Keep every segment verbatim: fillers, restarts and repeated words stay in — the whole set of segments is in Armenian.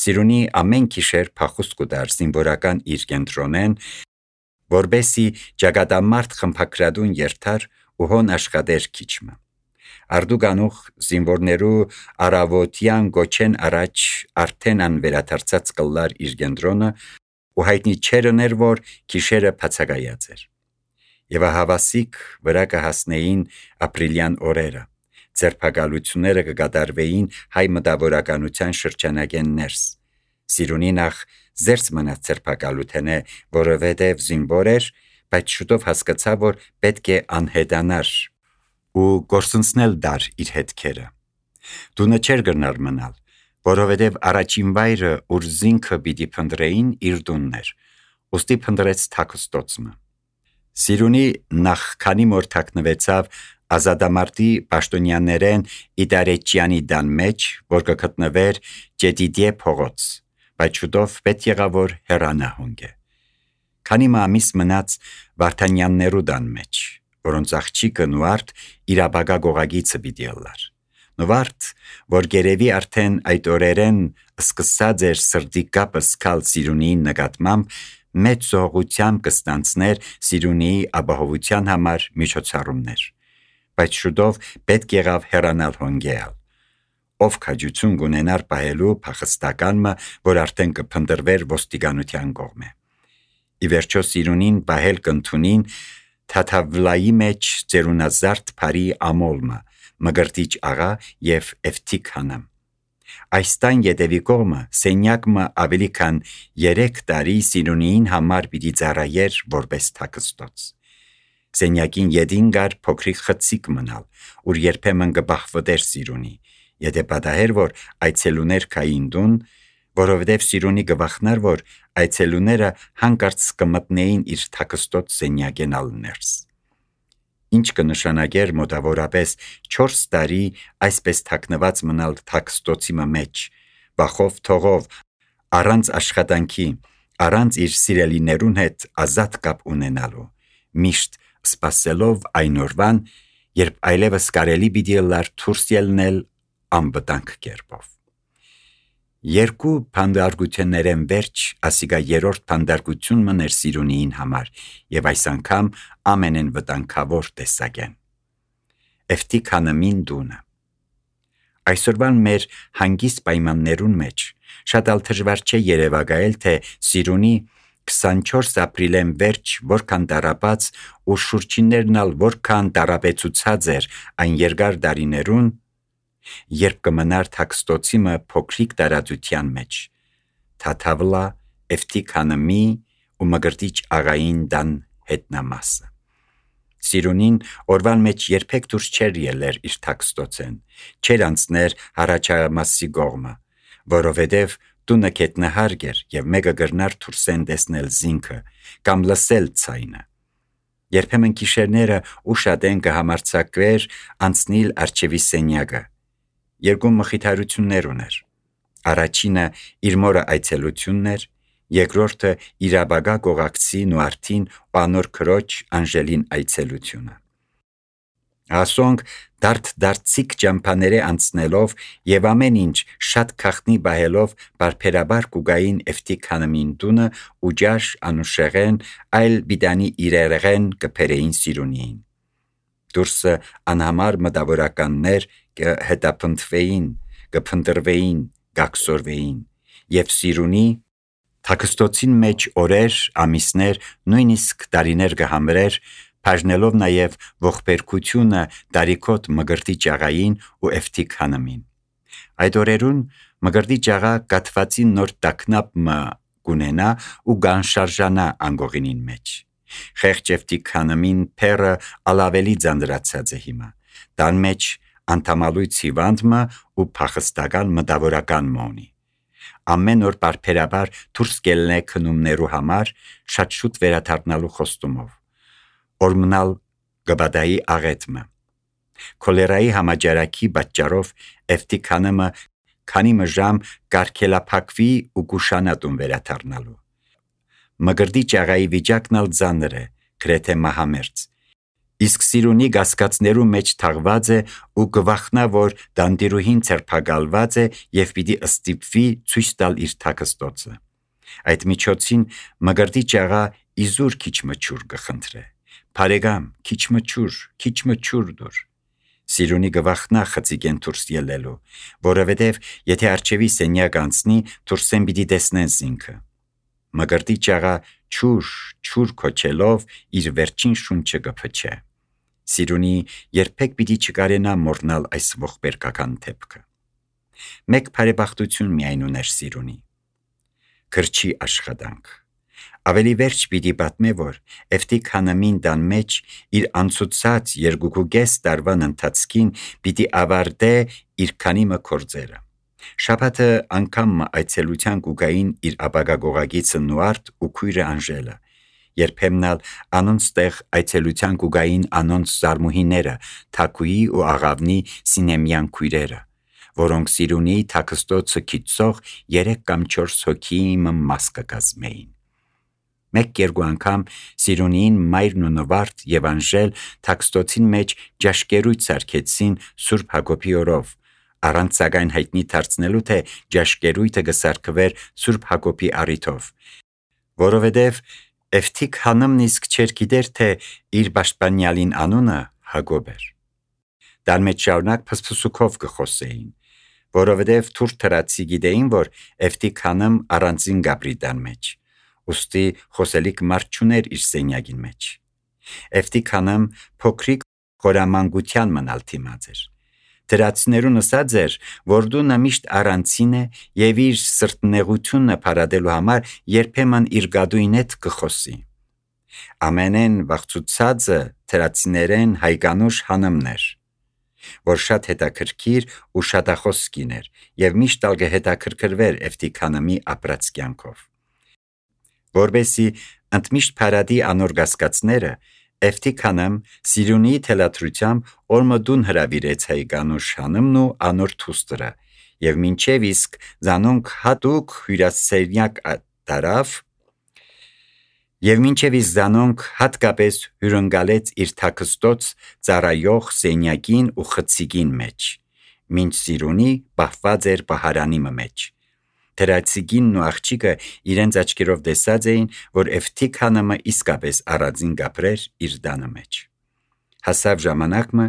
Սիրունի ամեն գիշեր փախուստ կուտար զինվորական իր կենտրոնեն, որբեսի ճակատամարտ խմփակրադուն երթար ու հոն աշխատեր քիչմը։ Արդուգանուխ զինվորներու արավոտյան գոչեն առաջ արդեն անվերադարձած կլար իր կենտրոնը ու հայտնի չերներ, որ գիշերը բացակայած էր։ Եվ հավասիկ վրա կհասնեին ապրիլյան օրերը, ձերբակալությունները կկատարվեին հայ մտավորականության շրջանագեն ներս։ Սիրունի նախ զերծ մնաց ձերբակալութենե, որովհետև զինվոր էր, բայց շուտով հասկացավ, որ պետք է անհետանար ու գործընծնել դար իր հետքերը։ Տունը չէր գնար մնալ, որովհետև առաջին վայրը, ուր զինքը պիտի փնտրեին, իր տունն էր, ուստի փնտրեց Թաքստոցը։ Սիրունի նախ քանի մոր թաքնվեցավ ազատամարտի պաշտոնյաներեն Իդարեջյանի դան մեջ, որ կգտնվեր Ջետիդիե փողոց, բայց շուտով պետք եղավ որ հեռանա հոնգե։ Քանի ամիս մնաց Վարդանյաններու դան մեջ, որոնց աղջիկը Նուարդ իր ապագա գողագիցը պիտի ըլլար։ Նուարդ, որ գերևի արդեն այդ օրերեն սկսած էր սրտի կապը սկալ Սիրունիին նկատմամբ, մեծ զողությամբ կստանցներ Սիրունիի ապահովության համար միջոցառումներ, բայց շուտով պետք եղավ հեռանալ հոնգեալ, ով քաջություն կունենար պահելու փախստականը, որ արդեն կփնտրվեր ոստիկանության կողմէ։ Ի վերջո Սիրունին պահել կընդունին Թաթավլայի մեջ ծերունազարդ բարի ամոլմը, Մգրտիչ աղա և Էվթիք հանամ։ Այս տան ետևի կողմը սենյակը ավելի քան երեք տարի Սիրունիին համար պիտի ծառայեր որպես Թաքստոց։ Սենյակին ետին գար փոքրիկ խցիկ մնալ, ուր երբեմն կբախվտեր Սիրունի, եթե պատահեր, որ այցելուներ կային տուն, որովհետև Սիրունի կվախնար, որ այցելուները հանկարծ կմտնեին իր Թաքստոց սենյակեն ալ ներս։ Ինչ կնշանակեր մոտավորապես չորս տարի այսպես թաքնված մնալ Թաքստոցի մեջ, վախով թողով, առանց աշխատանքի, առանց իր սիրելիներուն հետ ազատ կապ ունենալու, միշտ սպասելով այն օրվան, երբ այլևս կարելի պիտի ըլլար դուրս ելնել անվտանգ կերպով։ Երկու փանդարգություններեն վերջ ասիկա երրորդ փանդարգությունն էր Սիրունիին համար եւ այս անգամ ամենեն վտանգավոր տեսակեն։ Էվթիք հանամին տունը։ Այսօրվան մեր հանգիստ պայմաններուն մեջ շատ ալ դժվար չէ երևակայել, թե Սիրունի քսանչորս ապրիլեն վերջ որքան տարապած ու շուրջիններն ալ որքան տարապեցուցած էր այն երկար դարիներուն, երբ կմնար Թաքստոցի մը փոքրիկ տարածության մեջ, Թաթավլա, Էվթիք հանամի ու Մգրտիչ աղային դան հետնամասը։ Սիրունին օրվան մեջ երբեք դուրս չէր ելեր իր Թաքստոցեն, չէր անցներ Հառաջամասի կողմը, որովհետև տունը գետնահարկ էր և մեկը գրնար դուրսեն տեսնել զինքը կամ լսել ցայնը։ Երբեմն գիշերները ուշադեն կհամարձակվեր անցնել արջևի սենյակը։ Երկու մխիթարություններ ուներ։ Առաջինը իր մորը այցելությունն էր, երկրորդը իր ապագա գողակցի Նուարդին ու անոր քրոջ Անժելին այցելությունը։ Ասոնք դարդ-դարձիկ ճամփաները անցնելով եւ ամեն ինչ շատ քախտնի բահելով բարբերաբար կուգային Էվթիք հանամին տունը ու ջաշ անուշեղեն այլ բիդանի իրերեղեն կփերեին Սիրունիին։ Դուրսը անհամար մտավորականներ կհետապնդվեին, կփնտրվեին, կաքսորվեին եւ Սիրունի Թաքստոցին մեջ օրեր, ամիսներ, նույնիսկ տարիներ կհամրեր, բաժնելով նաև ողբերգությունը Դարիքոտ Մգրտիչ աղային ու Էվթիք հանամին։ Այդ օրերուն Մգրտիչ աղա կաթվածի նոր տակնապը կունենա ու կանշարժանա անգողինին մեջ։ Խեղճ Էվթիք հանամին փերը ալավելի ձանդրացած է հիմա, տան մեջ անդամալույց հիվանդը ու փախստական մտավորական մոնի։ Ամեն օր բարբերաբար դուրս գելնե քնումներու համար շատ շուտ վերադառնալու խոստումով։ Օրմնալ գբադայի աղետմը։ Քոլերայի համաճարակի պատճառով Էվթիք հանամը քանի մժամ կարգելափակվի ու գուշանատուն վերադառնալու։ Մգրտիչ աղայի վիճակն ալ ծանր է, գրեթե մահամերձ, իսկ Սիրունի գասկածներու մեջ թաղված է ու գվախնա, որ դանդիրուհին ցերփակալված է եւ պիտի ըստիպվի ցույց տալ իր թաքստոցը։ Այդ միջոցին մգրտի ճաղա իզուր քիչ մչուր կխնդրե։ Փարեգամ, քիչ մչուր, քիչ մչուր դուր։ Սիրունի գվախնա խցիկեն դուրս ելելու, որովհետև եթե արջևի սենյակ անցնի, դուրսեն պիտի տեսնեն զինքը։ Մգրտի ճաղա չուր, չուր քոչելով իր վերջին շունչը կփչե։ Սիրունի երբեք պիտի չկարենա մոռնալ այս ողբերգական դեպքը։ Մեկ բարեբախտություն միայն ուներ Սիրունի։ Գրչի աշխատանք։ Ավելի վերջ պիտի պատմե, որ Էվտիկ Հանամին դան մեջ իր անցուցած երկուկուգես տարվան ընթացքին պիտի ավարտե իր քանիմը կորձերը։ Շաբաթը անգամ այցելության կուգային իր ապագա գողագիցը Նուարդ ու քույրը Անժելը, երբեմնալ անոնց տեղ այցելության կուգային անոնց զարմուհիները, Թակուի ու Աղավնի Սինեմյան քույրերը, որոնք Սիրունի թաքստոցը քիծող երեք կամ չորս հոգիի մաս կկազմեին։ Մեկ երկու անգամ Սիրունին մայրն ու Նվարդ եւ Անժել թաքստոցին մեջ ջաշկերույթ սարքեցին Սուրբ Հակոբի օրով, առանց սակայն հայտնի դարձնելու թե ջաշկերույթը կսարքվեր Սուրբ Հակոբի առիթով, որովհետև Էվտիկ Հանամն իսկ չէր գիտեր, թե իր պաշտպանյալին անունը Հակոբ էր։ Դան մեջ շարունակ փսփսուկով կխոսեին, որովհետև թուրք թրացի գիտեին, որ Էվտիկ Հանամ առանձին գաբրի դան մեջ, ուստի խոսելիք մարդ չուներ իր սենյակին մեջ։ Էվտիկ Հանամ փոքրիկ խորամանկության մնալ թիմած էր։ Թրացիներուն ասած էր, որ դու միշտ առանցին է եւ իր սրտնեղությունը փարադելու համար երբեմն իր գադույն հետ կխոսի։ Ամենեն վախծուցածը թրացիներեն հայկանուշ Հանամն էր, որ շատ հետաքրքիր ու շատախոս կին էր եւ միշտ ալ կհետաքրքրվեր Էվտիկ Հանամի ապրած կյանքով։ Որբեսի ընդմիշտ փարադի անոր գասկածները Էվտիկ Հանամ Սիրունի թելադրությամբ օրմդուն հրավիրեց հայկանուշ Հանամն ու անոր թուստրը եւ մինչեւ իսկ զանոնք հատուկ հյուրասենյակ տարավ եւ մինչեւ իսկ զանոնք հատկապես հյուրընկալեց իր թաքստոց ծառայող սենյակին ու խցիկին մեջ, մինչ Սիրունի պահված էր պահարանի մեջ։ Թրացիկինն ու աղջիկը իրենց աչքերով տեսած էին, որ Էվտիկ Հանամը իսկապես առանձին գաբրեր իր դանը մեջ։ Հասավ ժամանակը,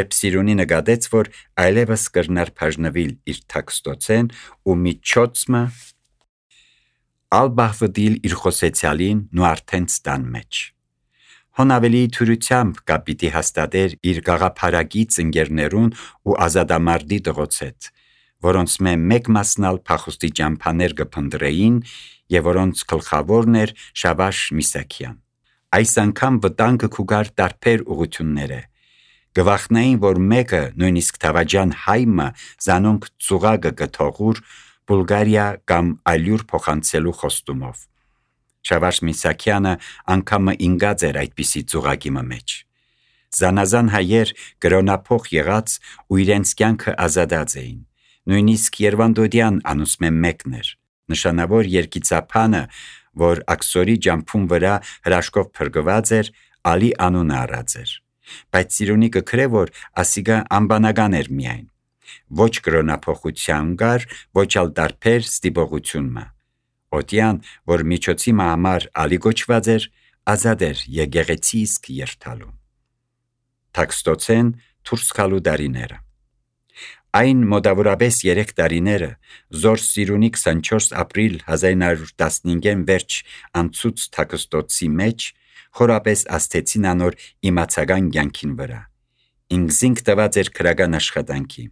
երբ Սիրունի նկատեց, որ այլևս կրնար բաժնվել իր թաքստոցեն ու միջոցը ալբահվդիլ իր խոսեցյալին ու արդեն ստան մեջ։ Հոն ավելի թյուրությամբ կապիտի հաստատեր իր գաղափարագից ընկերներուն ու ազատամարտի տղոց հետ, որոնց մեկ մասնալ փախուստի ճամփաներ կփնտրեին եւ որոնց գլխավորն էր Շավաշ Միսակյան։ Այս անգամ վտանգը կուգար տարբեր ուղություններ է։ Գվախնային, որ մեկը նույնիսկ Թավաջան հայմը զանոնք ծուղակը կթողուր Բուլղարիա կամ այլուր փոխանցելու խոստումով։ Շավաշ Միսակյանը անգամը ինգած էր այդպիսի ծուղակի մեջ։ Զանազան հայեր կրոնափոխ եղած ու իրենց կյանքը ազատած էին։ Նույնիսկ Երվանդոդյան անուսմե մեկն էր, նշանավոր երկիծափանը, որ աքսորի ջամփուն վրա հրաշքով փրկված էր, Ալի անունը առած էր, բայց Սիրունի կքրե, որ ասիգա անբանական էր միայն, ոչ կրոնափոխության գար, ոչ ալ տարբեր ստիպողությունը։ Օտյան, որ միջոցի համար Ալի գոչված էր, ազատ էր եկեղեցի իսկ երթալու։ Թաքստոցեն դուրս գալու դարիները։ Այն մոտավորապես երեք տարիները Զոր Սիրունի քսանչորս ապրիլ հազար ինը հարյուր տասնհինգին վերջ անցուց թաքստոցի մեջ խորապես աստեցին անոր իմացական կյանքին վրա։ Ինքզինք տված էր քրական աշխատանքի։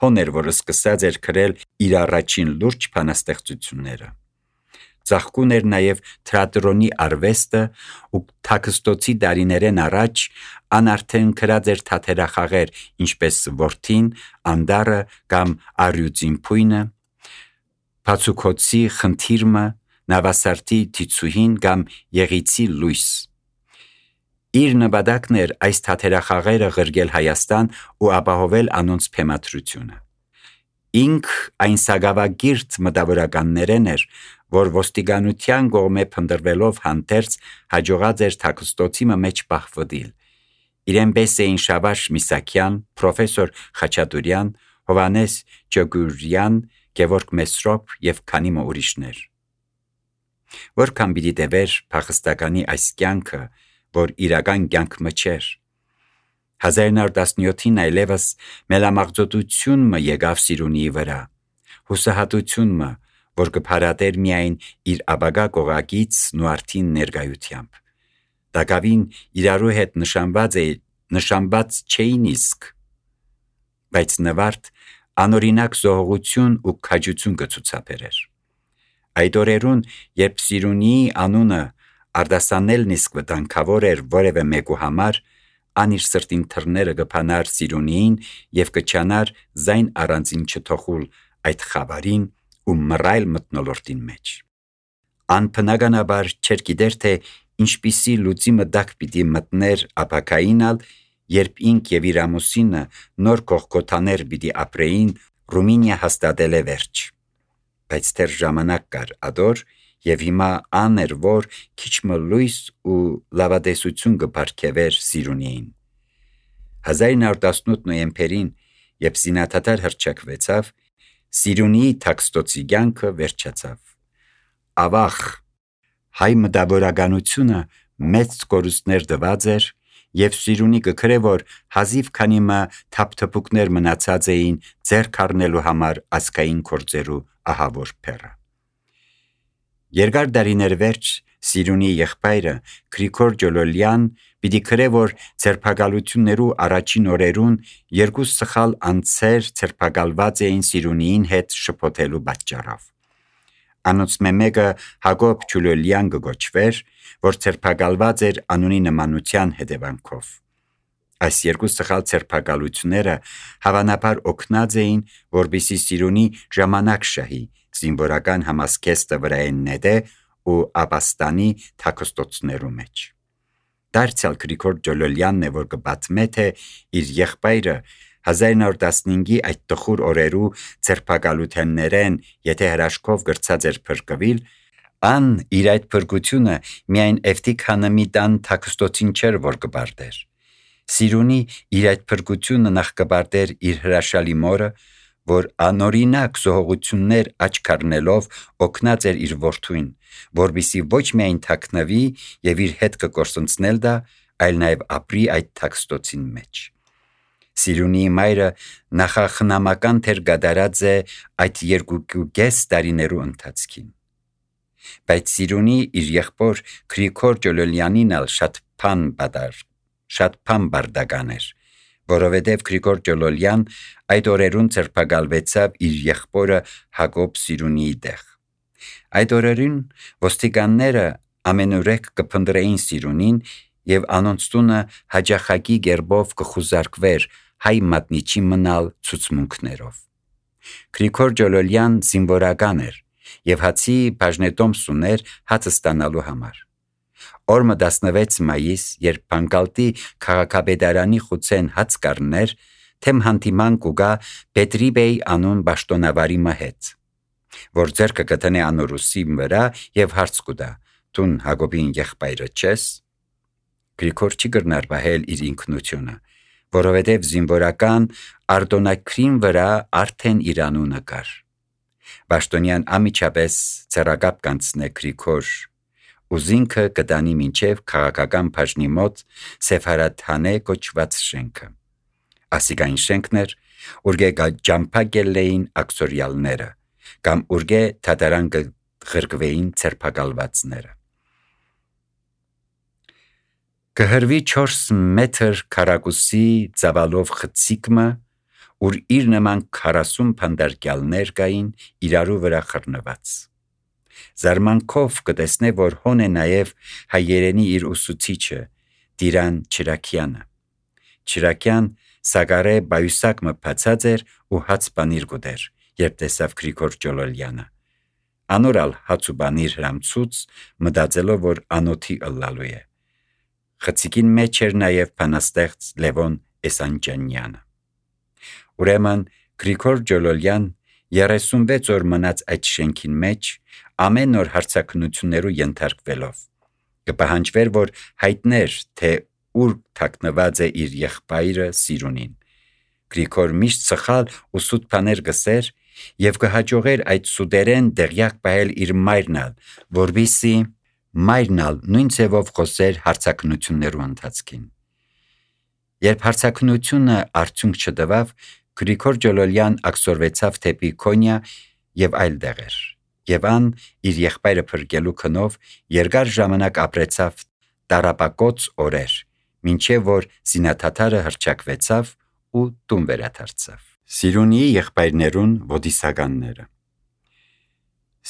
Հոներ, որ սկսած էր քրել իր առաջին լուրջ բանաստեղծությունները։ Ծաղկուն էր նաև թատրոնի արվեստը ու թաքստոցի դարիներեն առաջ անարդեն քրած էր թատերախաղեր, ինչպես Որդին, Անդարը կամ Արյուծին փույնը, Փացուկոցի խնդիրը, Նավասարտի Թիցուհին կամ Եղիցի լույս։ Իր նպատակն էր այս թատերախաղերը ղրգել Հայաստան ու ապահովել անոնց փեմատրությունը։ Ինք այն սագավագիրտ մտավորականներեն էր, որ ոստիկանության կողմէ փնտրվելով հանդերձ հաջողած էր թաքստոցի մեջ պահվդիլ, Իրեն պես էին Շավարժ Միսակյան, պրոֆեսոր Խաչատուրյան, Հովանես Ջոգուրյան, Գևորգ Մեսրոպ եւ քանի մը ուրիշներ։ Որքան պիտի տևեր փախստականի այս կյանքը, որ իրական կյանքը չէր։ հազար նոր տասնյոթին այլևս մելամաղձոտությունը եկավ Սիրունիի վրա, հուսահատությունը, որ կփարատեր միայն իր աբագա կողակից նուարդին ներկայությամբ։ Դակավին իրարու հետ նշանված է, նշանված չէին իսկ, բայց նվարդ անօրինակ զոհողություն ու քաջություն կցուցաբերեր։ Այդ օրերուն, երբ Սիրունիի անունը արտասանելն իսկ վտանգավոր էր որևէ մեկու համար, ան իր սրտին թռները կփանար Սիրունիին եւ կչանար զայն առանձին չթողուլ այդ խավարին ու մռայլ մթնոլորտին մեջ։ Ան բնականաբար չէր գիտեր, թե ինչպիսի լուծի մտակ պիտի մտներ ապակայինալ, երբ ինք եւ իր ամուսինը նոր կողքոթաներ պիտի ապրեին Ռումինիա հաստատել է վերջ։ Բայց դեռ ժամանակ կար ադոր, եւ հիմա ան էր, որ քիչ մը լույս ու լավատեսություն կբարգեւեր Սիրունիին։ հազար նոր տասնութ նոյեմբերին, երբ զինաթաթար հռչակվեցավ, Սիրունիի թաքստոցի կյանքը վերջացավ։ Ավաղ հայ մտավորականությունը մեծ կորուստներ տված էր, եւ Սիրունի կգրե, որ հազիվ քանի մը թափթփուկներ մնացած էին ձեռք առնելու համար ազգային գործերու ահավոր փեռը։ Երկար դարիներ վերջ Սիրունի եղբայրը Գրիգոր Ջոլոլյան պիտի գրե, որ ցերփակալություններու առաջին օրերուն երկու սխալ անձեր ցերփակալված էին Սիրունիին հետ շփոթելու պատճառով։ Անոնց մեկը Հակոբ Ջոլոլյան գոչվեր, որ ցերփակալված էր անունի նմանության հետևանքով։ Այս երկու սխալ ցերփակալությունները հավանաբար օգնած էին, որպեսզի Սիրունի ժամանակ շահի զինվորական համազգեստը վրայեն նետե ու ապաստանի թաքստոցներու մեջ։ Դարձյալ Գրիգոր Ջոլոլյանն է, որ կպատմե, թե իր եղբայրը հազար նոր տասնհինգի այդ տխուր օրերու ցերփակալութեններեն, եթե հրաշքով գրծած էր փրկվել, ան իր այդ փրկությունը միայն Էվտիկ Հանամի տան թաքստոցին չէր, որ կբարտեր։ Սիրունի իր այդ փրկությունը նախ կբարտեր իր հրաշալի մորը, որ անօրինակ զոհողություններ աչք առնելով օգնած էր իր որդուին, որպեսզի ոչ միայն թաքնվի եւ իր հետ կկործնցնել դա, այլ նաեւ ապրի այդ թաքստոցին մեջ։ Սիրունիի մայրը նախախնամական թեր գդարած է այդ երկու կես տարիներու ընթացքին։ Բայց Սիրունի իր եղբոր Գրիգոր Ջոլոլյանին ալ շատ փան բադար, շատ փան բարդական էր, որովհետև Գրիգոր Ջոլոլյան այդ օրերուն ցերփակալվեցավ իր եղբորը Հակոբ Սիրունիի տեղ։ Այդ օրերուն ոստիկանները ամենուրեք կփնտրեին Սիրունին եւ անոնց տունը հաջախակի գերբով կխուզարկվեր հայ մատնիչի մնալ ցուցմունքներով։ Գրիգոր Ջոլոլյան զինվորական էր եւ հացի բաժնետոմս ուներ հացը ստանալու համար։ Օրը տասնվեց մայիս, երբ Բանկալտի քաղաքապետարանի խուցեն հաց կառներ, թեմ հանդիման կուգա Պետրիբեյ անուն բաշտոնավարի մհետ, որ ձեռքը կտնե անորուսի վրա եւ հարց կուտա. «Տուն Հակոբին եղբայրը չես»։ Գրիգոր չի գրնար բահել իր ինքնությունը, որովհետև զինվորական արտոնակրին վրա արդեն իր անունը կար։ Բաշտոնյան ամիջապես ցերակապ կանցնե Գրիգոր, ուզինքը կտանի մինչև քաղաքական բաժնի մոտ Սեֆարաթանե կոչված շենքը։ Ասիկային շենքներ, ուրգե ջամփակելեին ակսորյալները, կամ ուրգե թատարան կղրկվեին ցերփակալվածները։ Կհրվի չորս մետր քառակուսի ծավալով խցիկմը, ուր իր նման քառասուն փանդարկյալներ կային իրարու վրա խռնված։ Զարմանքով կտեսնե, որ հոն է նաև հայերենի իր ուսուցիչը Տիրան Չիրակյանը։ Չիրակյան սագարե բայուսակ մփացած էր ու հաց բանիր գուտեր, երբ տեսավ Գրիգոր Ջոլոլյանը։ Անորալ հաց ու բանիր հրամցուց, մտածելով, որ անոթի ըլլալու է։ Խցիկին մեջ էր նաև բանաստեղծ Լևոն Էսանջանյանը։ Ուրեմն Գրիգոր Ջոլոլյան երեսունվեց օր մնաց այդ շենքին մեջ, ամեն օր հարցաքննություններու ենթարկվելով։ Կպահանջվեր, որ հայտներ, թե ուր թաքնված է իր եղբայրը Սիրունին։ Գրիգոր միշտ սխալ ու սուտ բաներ գսեր եւ կհաջողեր այդ սուտերեն դեղյակ պահել իր մայրնալ, որբիսի մայրնալ նույն ձևով խոսեր հարցակնություններու ընթացքին։ Երբ հարցակնությունը արդյունք չտվավ, Գրիգոր Ջոլոլյան ակսորվեցավ թեպի Քոնյա եւ այլ դեղեր, եւ ան իր եղբայրը փրկելու քնով երկար ժամանակ ապրեցավ տարապակոց օրեր, մինչև որ զինաթաթարը հռչակվեցավ ու տուն վերադարձավ։ Սիրունիի եղբայրներուն ոդիսականները։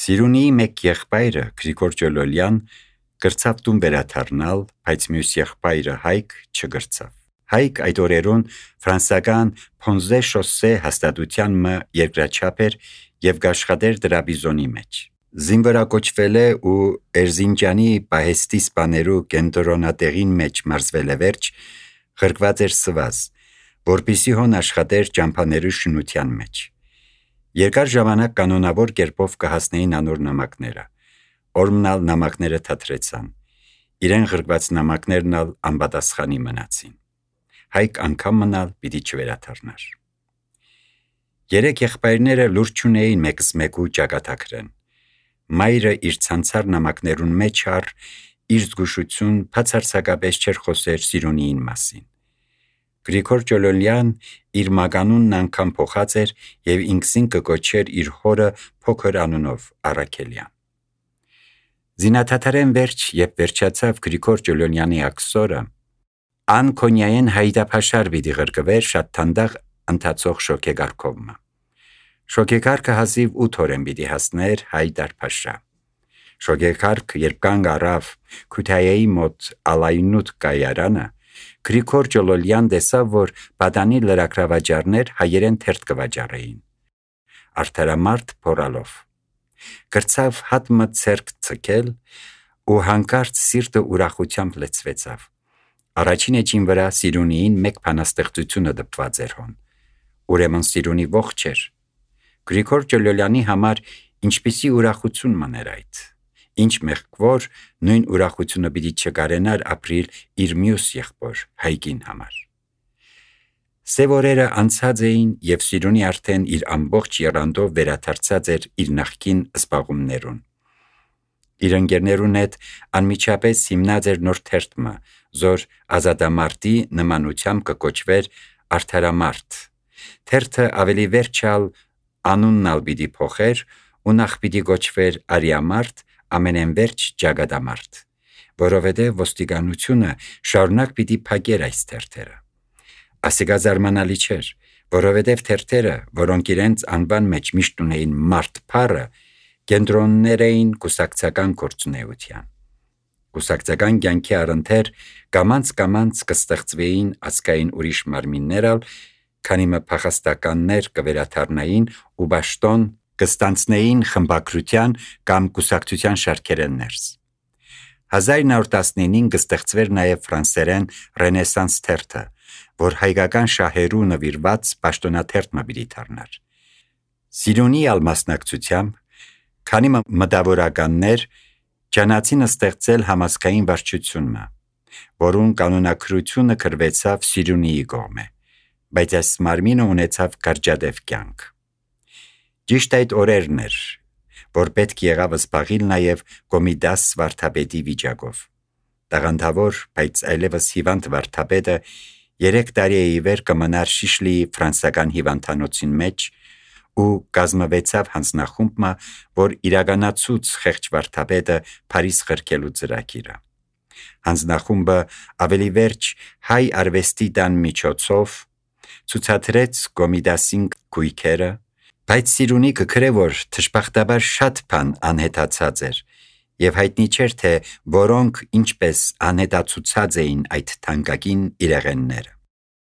Սիրունիի մեկ եղբայրը Գրիգոր Ջոլոլյան գրծավ տուն վերադառնալ, բայց մյուս եղբայրը Հայկ չգրծավ։ Հայկ այդ օրերուն ֆրանսական Փոնզե շոսե հաստատության մը երկրաչափ էր եւ գաշխատեր դրաբիզոնի մեջ։ Զինվորակոչվել է ու Էրզինջանի պահեստի սպաներու կենտրոնատեղին մեջ մարզվել է վերջ, ղրկված էր սվազ, որպիսի հոն աշխատեր ճամփաներու շինության մեջ։ Երկար ժամանակ կանոնավոր կերպով կհասնեին անոր նամակները։ Օրմնալ նամակները թատրեցան։ Իրեն ղրկված նամակներն ալ անպատասխանի մնացին։ Հայկ անգամ մնալ պիտի չվերադառնար։ Երեք եղբայրները լուրջ չունեին մեկս մեկու ճակատագրեն։ Մայրը իր ցանցար նամակներուն մեջ առ իր զգուշություն բացարձակապես չէր խոսեր Սիրունիին մասին։ Գրիգոր Ջոլոլյան իր մագանունն անգամ փոխած էր եւ ինքսին կկոչեր իր հորը փոքր անունով Առաքելյան։ Զինաթաթարեն վերջ, երբ վերջացավ Գրիգոր Ջոլոլյանի ակսորը, ան Քոնյայեն հայդապաշար պիտի ղրկվեր շատ թանդաղ ընթացող շոկեգարքովը։ Շոկեգարքը հազիվ ութ օրեն պիտի հասներ Հայդարփաշա։ Շոկեգարք երբ կանգ առավ Քութայեի մոտ Ալայնուտ կայարանը, Գրիգոր Ջոլոլյան տեսավ, որ պատանի լրագրավաճառներ հայերեն թերթ կվաճառեին։ Արդարամարտ փորալով։ Գրծավ հատմը ցերկ ցկել ու հանկարծ սիրտը ուրախությամբ լեցվեցավ։ Առաջին էջին վրա Սիրունիին մեկ բանաստեղծությունը դպված էր հոն։ Ուրեմն Սիրունի ողջ էր։ Գրիգոր Ջոլոլյանի համար ինչպիսի ուրախություն մներ այդ։ Ինչ մեղքվոր նույն ուրախությունը պիտի չկարենար ապրիլ իր մյուս եղբոր Հայկին համար։ Սև օրերը անցած էին եւ Սիրունի արդեն իր ամբողջ եռանդով վերադարձած էր իր նախկին զբաղումներուն։ Իր ընկերներուն հետ անմիջապես հիմնած էր նոր թերթը, զոր ազատամարտի նմանությամբ կկոչվեր Արդարամարտ։ Թերթը ավելի վերջալ անունն ալ պիտի փոխեր ու նախ պիտի կոչվեր Արիամարտ, ամենենվերջ Ջագադամարտ, որովհետև ոստիկանությունը շարունակ պիտի փակեր այս թերթերը։ Ասիկա զարմանալի չէր, որովհետև թերթերը, որոնք իրենց անվան մեջ միշտ ունեին մարդ փառը, կենտրոններ էին կուսակցական գործունեության։ Կուսակցական կյանքի առընթեր կամանց-կամանց կստեղծվեին ազգային ուրիշ մարմիններ ալ, քանի մը փախստականներ կվերադառնային ու պաշտոն կստանցնեին խմբակրության կամ կուսակցության շարքերեն ներս։ հազար նոր տասնինին կստեղծվեր նաև ֆրանսերեն Ռենեսանս թերթը, որ հայկական շահերու նվիրված պաշտոնաթերթ մը պիտի դառնար։ Սիրունի ալ մասնակցությամբ, քանի մը մտավորականներ ճանաչին ստեղծել համազգային վարչությունը, որուն կանոնակրությունը քրվեցավ Սիրունիի կողմէ, բայց այս մարմինը ունեցավ կարճատև կյանք։ Ճիշտ այդ օրերն էր, որ պետք եղավ զբաղիլ նաև Կոմիդաս վարդապետի վիճակով։ Տաղանդավոր, բայց այլևս հիվանդ վարդապետը երեք տարի է ի վեր կմնար Շիշլիի ֆրանսական հիվանդանոցին մեջ ու կազմվեցավ հանձնախումբը, որ իրականացուց խեղճ վարդապետը Փարիզ ղրկելու ծրագիրը։ Հանձնախումբը ավելի վերջ հայ արվեստի տան միջոցով ցուցադրեց Կոմիդասին գույքերը, բայց Սիրունի կգրե, որ թշպախտաբար շատ բան անհետացած էր եւ հայտնի չէր, թե որոնք ինչպես անհետացուցած էին այդ թանկագին իրեղենները։